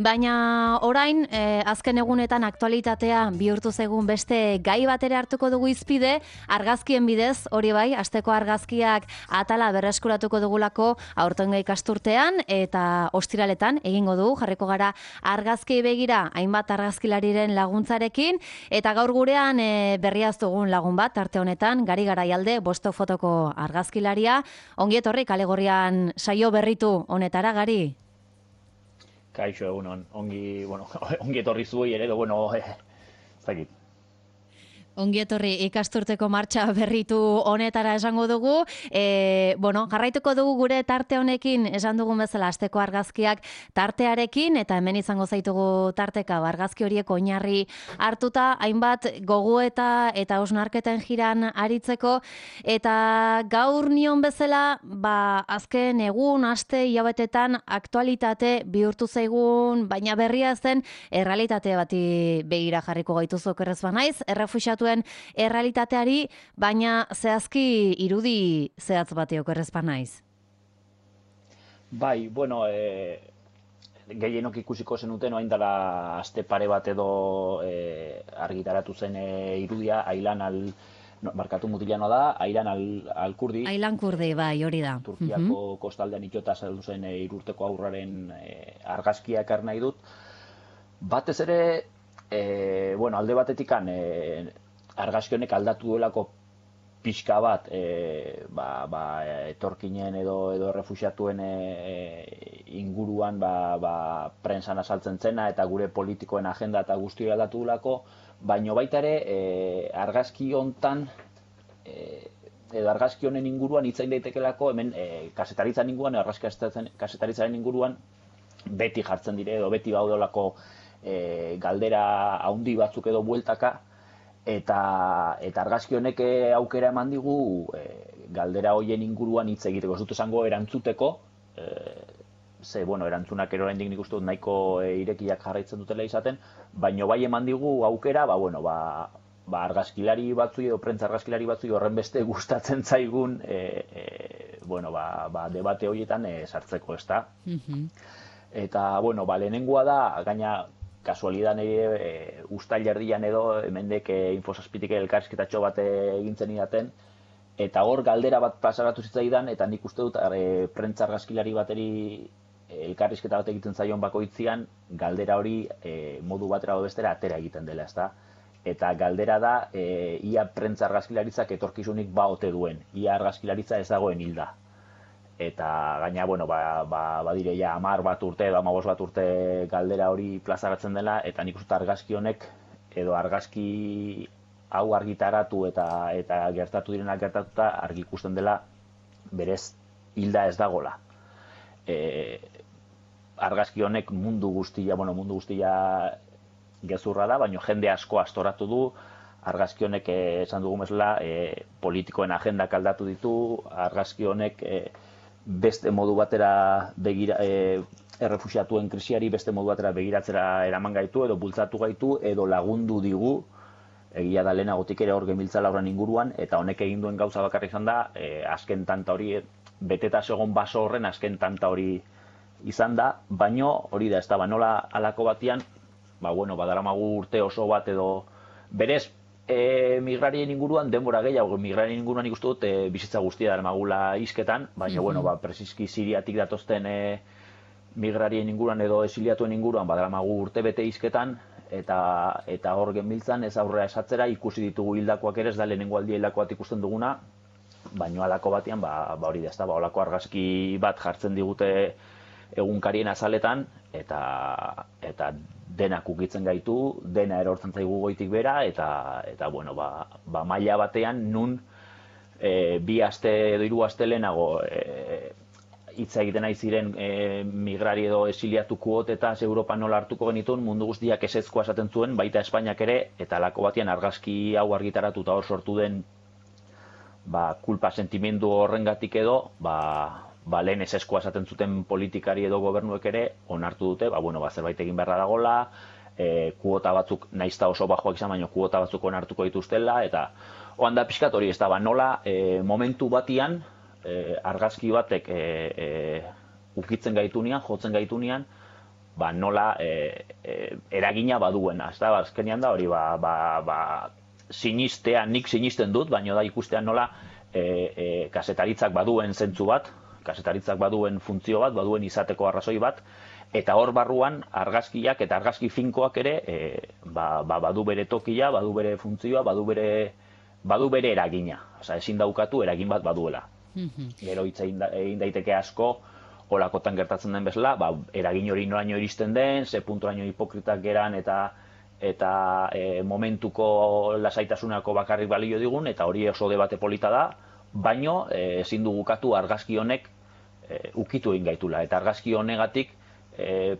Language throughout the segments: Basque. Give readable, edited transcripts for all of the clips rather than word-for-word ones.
Baina orain, azken egunetan aktualitatea bihurtu zaigun beste gai bat ere hartuko dugu hizpide, argazkien bidez, hori bai, asteko argazkiak atala berreskuratuko dugulako aurtengo ikasturtean eta ostiraletan egingo dugu, jarriko gara argazkiei begira hainbat argazkilariren laguntzarekin, eta gaur gurean berriaz dugun lagun bat, arte honetan, Gari Garaialde, Bostok fotoko argazkilaria. Ongi etorri Kalegorrian saio berritu honetara, Gari? Kaixo, egunon, ongi etorri zuei ere, zakit. Ongi etorri ikasturteko martxa berritu honetara esango dugu. Jarraituko dugu gure tarte honekin, esan dugun bezala asteko argazkiak tartearekin, eta hemen izango zaitugu tarteka argazki horiek oinarri hartuta, hainbat gogoeta eta hausnarketen jiran aritzeko, eta gaur nion bezala, azken egun, aste, hilabetetan aktualitate bihurtu zaigun, baina berria zen errealitate bati begira jarriko gaituzu okerrez banaiz, errefuxiatuen errealitateari, baina zehazki irudi zehatz bati okerrez banaiz. Bai, gehienok ikusiko zenuten orain dela aste pare bat edo argitaratu zen irudia, mutilanoa da, Aylan al-Kurdi. Aylan Kurdi, bai, hori da. Turkiako kostaldean itxota saldu zen 3 urteko haurraren argazkia ekar nahi dut. Batez ere, alde batetikan argazki honek aldatu duelako pixka bat etorkinen edo errefuxiatuen inguruan prentsan azaltzen zena eta gure politikoen agenda eta guztia aldatu duelako, baina baita ere argazki hontan edo argazki honen inguruan hitzain daitekelako hemen kazetaritzaren inguruan, kazetaritzaren inguruan beti jartzen dire edo beti baudolako galdera handi batzuk edo bueltaka, eta argazki honek aukera eman digu galdera hoien inguruan hitz egiteko. Ez dut esango erantzuteko, erantzunak oraindik nik uste dut nahiko irekiak jarraitzen dutela izaten, baina bai eman digu aukera, argazkilari batzui edo prentza argazkilari batzui horren beste gustatzen zaigun debate horietan sartzeko, ezta? Eta, lehenengoa da, gaina kasualidan ustail erdian edo, hemendek Infosazpitik elkarrizketatxo bat egintzen idaten, eta hor galdera bat pasaratu zitzaidan, eta nik uste dut prentza argazkilari bateri elkarrizketa bat egiten zaion bakoitzian, galdera hori modu batera edo bestera atera egiten dela, ezta? Eta galdera da, ia prentza argazkilaritzak etorkizunik ote duen, ia argazkilaritza ez dagoen hilda. Eta gaina, badire ja 10 bat urte edo 15 bat urte galdera hori plazaratzen dela, eta nik uste argazki honek edo argazki hau argitaratu eta gertatu direnak gertatuta argi ikusten dela berez hilda ez dagola. Argazki honek mundu guztia gezurra da, baina jende asko astoratu du. Argazki honek esan dugu bezala politikoen agendak aldatu ditu, argazki honek beste modu batera errefuxiatuen krisiari beste modu batera begiratzera eraman gaitu edo bultzatu gaitu edo lagundu digu, egia da lehenagotik ere hor gemiltzala horren inguruan, eta honek egin duen gauza bakarrik izan da, azken tanta hori, beteta segon baso horren azken tanta hori izan da, baino hori da, ez da, nola alako batian, badaramagu urte oso bat edo berez, migrarien inguruan, denbora gehiago, migrarien inguruan ikustu dut bizitza guztia daramagula hizketan, baina, presizki Siriatik datozten migrarien inguruan edo esiliatuen inguruan, badaramagu urte bete hizketan, eta hor genbiltzan ez aurrera esatzera, ikusi ditugu hildakoak ere, ez da lehenengo aldia hildakoa ikusten duguna, baina alako batean, hori da, ez da, olako argazki bat jartzen digute egunkarien azaletan, eta denak ukitzen gaitu, dena erortzen zaigu goitik bera, eta maila batean nun 2 aste edo 3 aste lehenago hitza egiten ari ziren migrari edo esiliatu kuotetaz Europan nola hartuko genituen, mundu guztiak ezezkoa esaten zuen, baita Espainiak ere, eta alako batean argazki hau argitaratu eta hor sortu den kulpa sentimendu horrengatik edo, lehen ezezkoa esaten zuten politikari edo gobernuek ere onartu dute, zerbait egin beharra dagoela, kuota batzuk naizta oso bajoak izan, baina kuota batzuk onartuko dituztela, eta oan da pixkat hori ez da, nola momentu batian argazki batek ukitzen gaitunean, jotzen gaitunean, nola eragina baduena, ez da, azkenean da hori, sinistea, nik sinisten dut, baina da ikustean nola kazetaritzak baduen zentzu bat, kazetaritzak baduen funtzio bat, baduen izateko arrazoi bat, eta hor barruan argazkiak eta argazki finkoak ere badu bere tokia, badu bere funtzioa, badu bere eragina. Osa, ezin daukatu eragin bat baduela. Gero hitz egin daiteke asko, holakotan gertatzen den bezala, eragin hori noraino iristen den, ze puntoraino hipokritak geran eta momentuko lasaitasunako bakarrik balio digun, eta hori oso debate polita da, baino ezin dugu ukatu argazki honek ukitu egin gaitula, eta argazki honegatik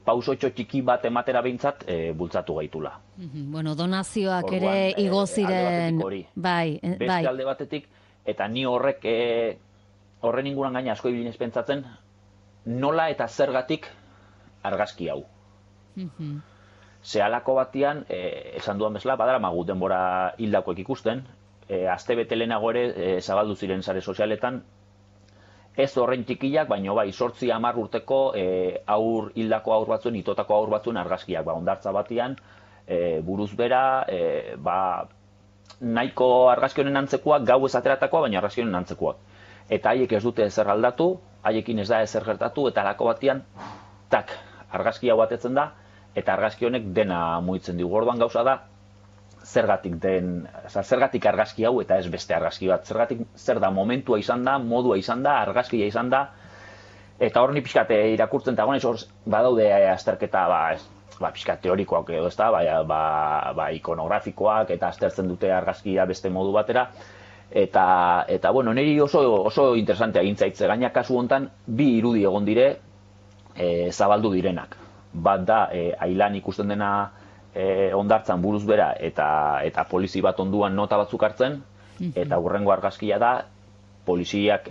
pausotxo txiki bat ematera behintzat bultzatu gaitula. Bueno, donazioak ere igo ziren. Beste alde batetik, eta ni horren inguruan gaina asko ibilin pentsatzen, nola eta zergatik argazki hau. Zehalako batian, esan duan bezala, badaramagu denbora hildakoek ikusten, aste bete lehenago ere zabaldu ziren sare sozialetan, ez horrein txikiak, baina bai, 8-10 urteko hildako haur batzuen, itotako haur batzuen argazkiak, hondartza batian, buruz bera, nahiko argazki honen antzekoak, gau ez ateratakoa, baina argazki honen antzekoak. Eta haiek ez dute ezer aldatu, haiekin ez da ezer gertatu, eta halako batian, tak, argazki hau batetzen da, eta argazki honek dena mugitzen digu. Orduan gauza da, zergatik argazki hau eta ez beste argazki bat. Zergatik zer da momentua izan da, modua izan da, argazkia izan da, eta hor ni pixkat irakurtzen eta gonez hor badaude azterketa pixkat teorikoak edo ez da, ikonografikoak eta aztertzen dute argazkia beste modu batera, eta bueno, niri oso interesantea gintzaitze, gaina kasu hontan bi irudi egon dire zabaldu direnak. Bat da, ailan ikusten dena hondartzan buruz bera eta polizi bat onduan nota batzuk hartzen, eta hurrengo argazkia da, poliziak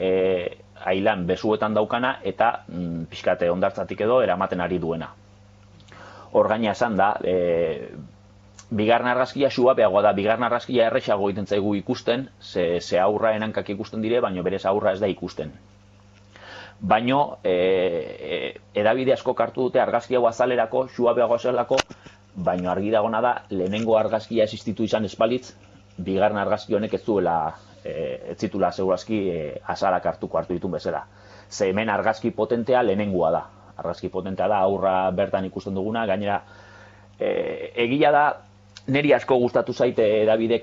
ailan besuetan daukana eta pixkate hondartzatik edo eramaten ari duena. Hor gaina esan da, bigarren argazkia suabeagoa da, bigarren argazkia erresago egiten zaigu ikusten, ze aurra enankak ikusten dire, baina berez aurra ez da ikusten. Baino, edabide asko kartu dute argazki hau azalerako, suabeago zelako, baino argi dagona da, lehenengo argazkia existitu izan espalitz, bigarren argazki honek ez zitula segurazki azalak hartu ditun bezala. Ze hemen argazki potentea lehenengoa da. Argazki potentea da, aurra bertan ikusten duguna, gainera, egia da, niri asko gustatu zaite edabide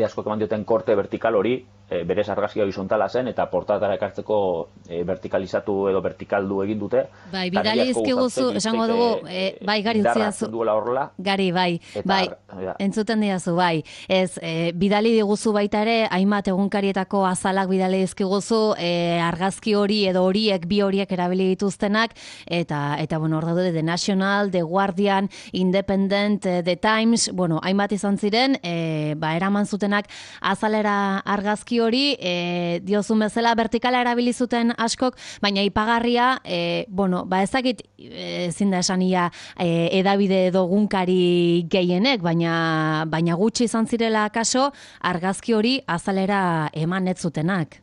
asko eman dioten korte vertikal hori, berez argazkia horizontala zen, eta portatara ekartzeko vertikalizatu edo vertikaldu egin dute. Bai, bidali dizkiguzu, esango dugu, bai, Gari utziazu. Gari, bai, entzuten diazu, bai. Ez, bidali diguzu baita ere, hainbat egunkarietako azalak bidali dizkiguzu, argazki hori edo horiek, bi horiek erabili dituztenak, eta bueno, hor daude, The National, The Guardian, Independent, The Times, bueno, hainbat izan ziren, eraman zutenak azalera argazki hori, diozun bezala vertikala erabili zuten askok, baina ipagarria, ezakit ezin da esania edabide edo egunkari gehienek, baina gutxi izan zirela kaso argazki hori azalera eman ez zutenak.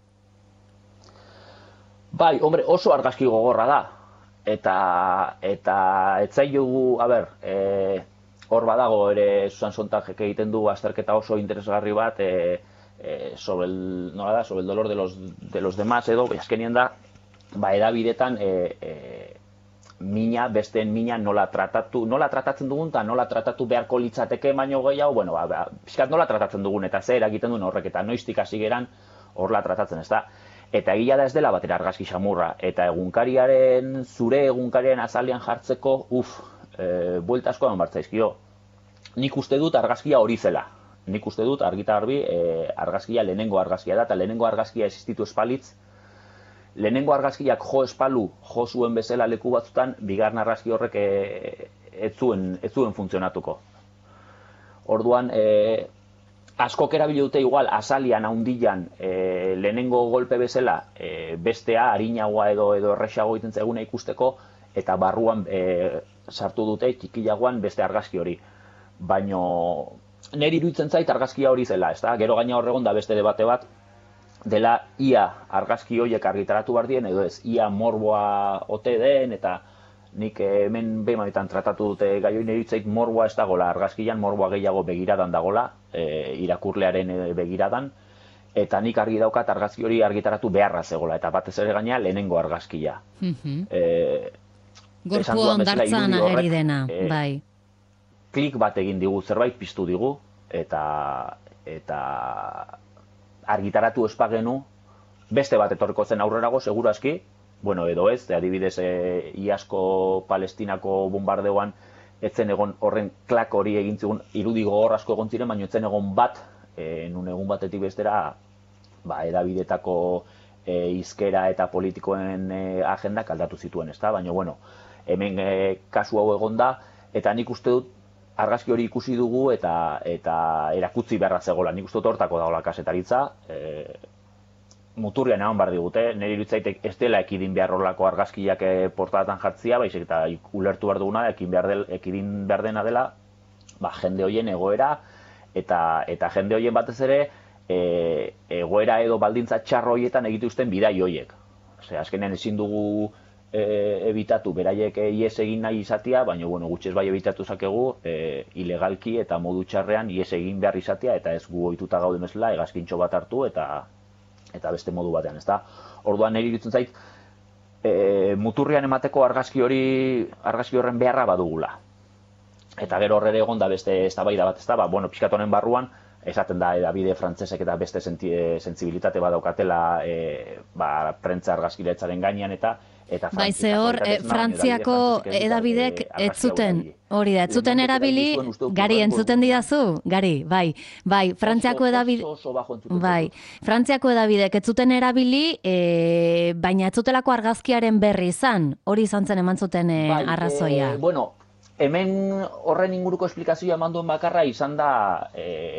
Bai, hombre, oso argazki gogorra da. Eta etzailugu, hor badago ere Susan Sontagek egiten du azterketa oso interesgarri bat sobre el dolor de los demás edo, azkenien da, edabidetan mina, besteen mina nola tratatzen dugun, eta nola tratatu beharko litzateke baino gehiago, pixkat nola tratatzen dugun, eta zer egiten duen horrek, eta noiztik hasi geran horla tratatzen, ez da. Eta egia da ez dela batera argazki xamurra, eta zure egunkariaren azalean jartzeko, buelta asko eman bartzaizkio. Nik uste dut argazkia hori zela. Nik uste dut argita garbi argazkia lehenengo argazkia da, eta lehenengo argazkia existitu espalitz, lehenengo argazkiak jo espalu, jo zuen bezala leku batzutan, bigarren argazki horrek ez zuen funtzionatuko. Orduan, askok erabili dute igual, azalian, haundilan, lehenengo golpe bezala, bestea, harinagoa edo erresago egiten zaiguna ikusteko, eta barruan sartu dute, txikilagoan beste argazki hori. Baino, niri iruditzen zait argazkia hori zela, ez da? Gero gaina horregon da beste debate bat, dela ia argazki horiek argitaratu behar dien, edo ez, ia morboa ote den, eta nik hemen behimaitan tratatu dute gai hori niritzait morboa ez dagola, argazkian morboa gehiago begiradan dagola, irakurlearen begiradan, eta nik argi daukat argazki hori argitaratu beharra zegola, eta batez ere gaina lehenengo argazkia. Gorpua ondartzan ageri dena, bai. Klik bat egin digu, zerbait piztu digu, eta argitaratu espagenu, beste bat etorriko zen aurrerago, segurazki, bueno, edo ez, adibidez, iazko Palestinako bombardeuan, etzen egon horren klak hori egin zigun, irudi gogor asko egon ziren, baina etzen egon bat, nun egun batetik bestera, edabidetako hizkera eta politikoen agendak aldatu zituen, ezta? Baina, bueno, hemen kasu hau egon da, eta nik uste dut, argazki hori ikusi dugu eta erakutsi beharra zegoela. Nik uste dut hortako dagoela kasetaritza, muturrian eman behar digute, nire irutzaitek ez dela ekidin behar horrelako argazkiak portatan jartzia, baizik eta ulertu behar duguna, ekidin behar dena dela, jende hoien egoera, eta jende hoien batez ere, egoera edo baldintza txarro hoietan egituzten bidai hoiek. Azkenean ezin dugu ebitatu beraiek ies egin nahi izatea, baina gutxez bai ebitatu zakegu ilegalki eta modu txarrean ies egin behar izatea, eta ez gu ohituta gaude mesela hegazkintxo bat hartu eta beste modu batean, ezta? Orduan niri iruditzen zait, muturrian emateko argazki horren beharra badugula. Eta gero horre egon da beste eztabaida bat, ezta? Pixkat honen barruan, esaten da edabide frantsesek eta beste sentsibilitate badaukatela prentza argazkiletzaren gainean eta bai, ze hor, Frantziako edabidek ez zuten, hori da, ez zuten erabili, Gari, entzuten didazu? Gari, bai, Frantziako edabidek ez zuten erabili, baina ez zutelako argazkiaren berri izan, hori izan zen eman zuten arrazoia. Bueno, hemen horren inguruko esplikazioa eman duen bakarra izan da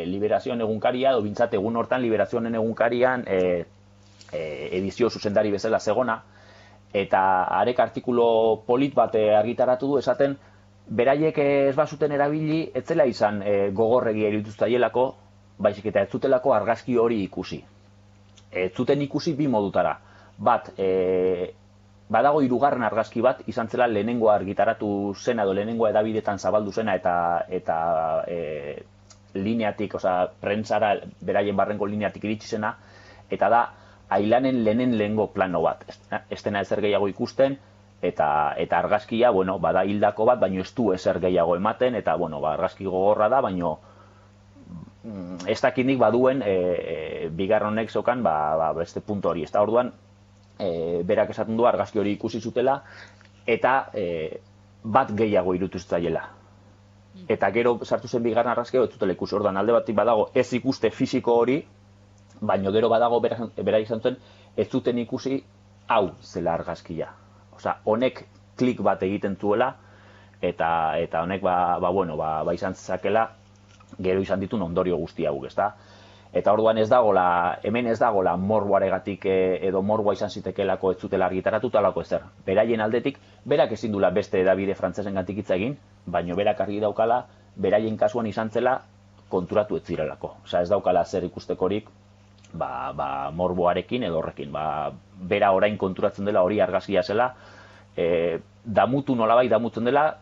Liberazioen egunkaria, edo bintzat egun hortan Liberazioen egunkarian edizio zuzendari bezala zegona, eta arek artikulo polit bat argitaratu du esaten, beraiek ez bazuten erabili, ez zela izan gogorregia irituztaielako, baizik eta ez zutelako argazki hori ikusi. Ez zuten ikusi bi modutara. Bat, badago hirugarren argazki bat, izan zela lehenengoa argitaratu zena, edo lehenengoa edabidetan zabaldu zena, eta lineatik, prentsara, beraien barrenko lineatik iritsi zena, eta da, ailanen lehenengo plano bat. Ez dena ezer gehiago ikusten, eta argazkia, bada hildako bat, baino ez du ezer gehiago ematen, eta argazki gogorra da, baino ez dakindik baduen bigarronek zokan beste puntu hori. Ez da orduan, berak esaten du argazki hori ikusi zutela, eta bat gehiago irutu zitzaiela. Eta gero sartu zen bigarren argazkia, ez zutela ikusi. Orduan alde batik badago ez ikuste fisiko hori, baina gero badago bera izan zuen, ez zuten ikusi hau zela argazkia. Honek klik bat egiten zuela, eta honek izan zakela, gero izan ditun ondorio guzti hau, ezta? Eta orduan hemen ez dagola morboaregatik edo morboa izan zitekelako ez zutela argitaratuta alako ezer. Beraien aldetik, berak ezin dula beste edabide frantsesen gantik hitz egin, baina berak argi daukala, beraien kasuan izan zela konturatu ez zirelako. Ez daukala zer ikustekorik, morboarekin edo horrekin. Bera orain konturatzen dela hori argazkia zela, damutu nolabait damutzen dela,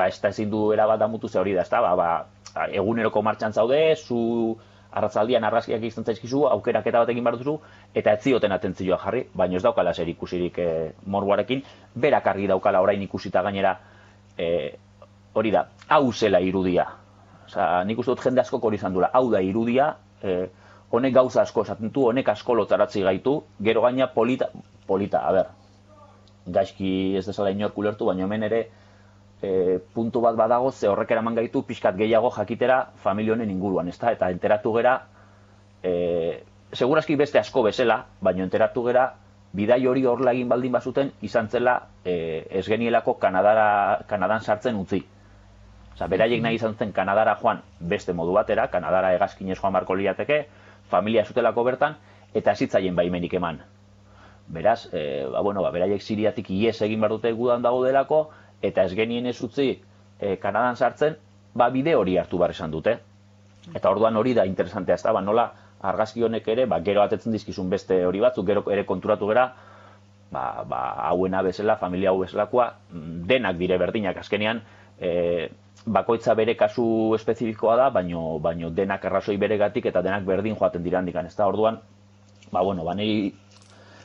ez da ezin du erabat damutu ze hori da, eguneroko martxan zaude, zu arratzaldian argazkiak izan zaizkizu, aukeraketa bat egin behar duzu, eta ez zioten atentzioa jarri, baina ez daukala zer ikusirik morboarekin, berak argi daukala orain ikusita gainera, hori da, hau zela irudia. Nik uste dut jende askok hori izan duela, hau da irudia, honek gauza asko esaten du, honek asko lotaratzi gaitu, gero gaina polita, gaizki ez dezala inork ulertu, baina hemen ere puntu bat badago, ze horrek eraman gaitu pixkat gehiago jakitera familia honen inguruan, ezta? Eta enteratu gera, segurazki beste asko bezala, baina enteratu gera, bidai hori horrela egin baldin bazuten, izan zela ez genielako Kanadan sartzen utzi. Beraiek nahi izan zen Kanadara joan beste modu batera, Kanadara hegazkinez joan barko liateke, familia zutelako bertan, eta zitzaien baimenik eman. Beraz, beraiek Siriatik ies egin behar dute gudan dago delako, eta ez genien ez utzi Kanadan sartzen, bide hori hartu behar esan dute. Eta orduan hori da interesantea, nola argazki honek ere, gero atetzen dizkizun beste hori batzuk, gero ere konturatu gera, hauena bezala, familia hau bezalakoa, denak dire berdinak azkenean, bakoitza bere kasu espezifikoa da, baino denak arrazoi beregatik eta denak berdin joaten dira handikan, ez da, orduan, niri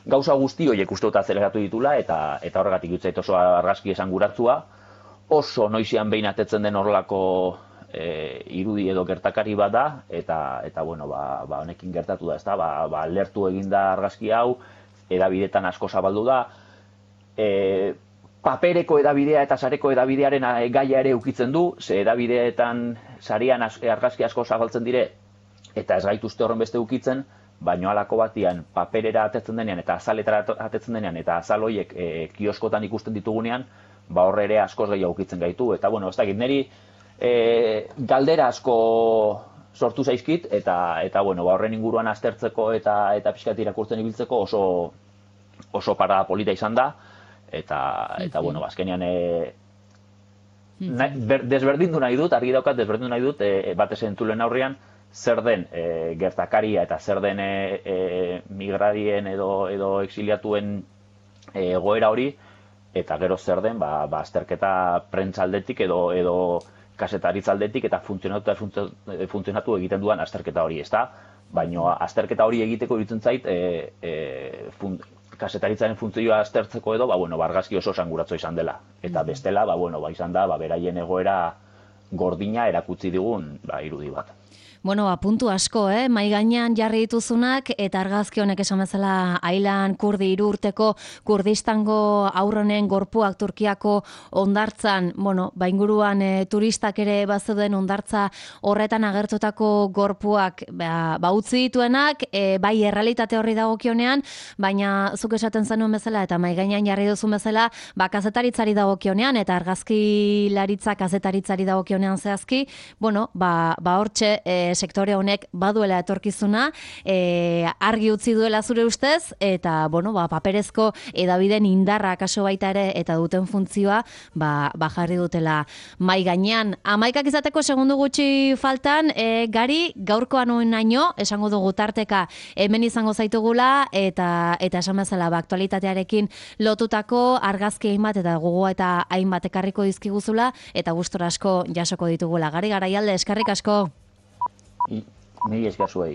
gauza guzti horiek uste dut azeleratu ditula, eta horregatik utzait oso argazki esanguratsua, oso noizean behin atetzen den horrelako irudi edo gertakari bat da, eta honekin gertatu da, ez da, lertu eginda argazki hau, edabidetan asko zabaldu da, papereko edabidea eta sareko edabidearen gaia ere ukitzen du, ze edabideetan sarian argazki asko zabaltzen dire, eta ez gaituzte horren beste ukitzen, baino halako batian paperera atetzen denean eta azaletara atetzen denean eta azal horiek kioskotan ikusten ditugunean, horre ere askoz gehiago ukitzen gaitu. Eta ez dakit, niri galdera asko sortu zaizkit, eta horren inguruan aztertzeko eta pixkat irakurtzen ibiltzeko oso parada polita izan da, eta azkenean desberdindu nahi dut, argi daukat desberdindu nahi dut, batez entzulen aurrean, zer den gertakaria eta zer den migradien edo exiliatuen egoera hori, eta gero zer den azterketa prentzaldetik edo kasetaritza-aldetik eta funtzionatu egiten duan azterketa hori, ezta? Baina azterketa hori egiteko iruditzen zait kasetaritzaren funtzioa aztertzeko edo, argazki oso esanguratsu izan dela. Eta bestela, izan da, beraien egoera gordina erakutsi digun irudi bat. Puntu asko, mai gainean jarri dituzunak, eta argazki honek esan bezala Aylan Kurdi 3 urteko Kurdistango aurronen gorpuak Turkiako hondartzan, inguruan turistak ere bazeuden hondartza horretan agertutako gorpuak utzi dituenak, bai errealitate horri dagokionean, baina zuk esaten zenuen bezala eta mai gainean jarri duzun bezala, kazetaritzari dagokionean eta argazkilaritza kazetaritzari dagokionean zehazki, hortxe sektore honek baduela etorkizuna, argi utzi duela zure ustez, eta, paperezko edabideen indarra kaso baita ere, eta duten funtzioa, jarri dutela mai gainean. 11 izateko segundu gutxi faltan, Gari, gaurkoan oinaino, esango dugu tarteka hemen izango zaitugula, eta esan bezala, aktualitatearekin lotutako argazki hainbat, eta gogoa eta hainbat ekarriko dizkiguzula, eta gustora asko jasoko ditugula. Gari, Garaialde, eskerrik asko. Ni esker zuei.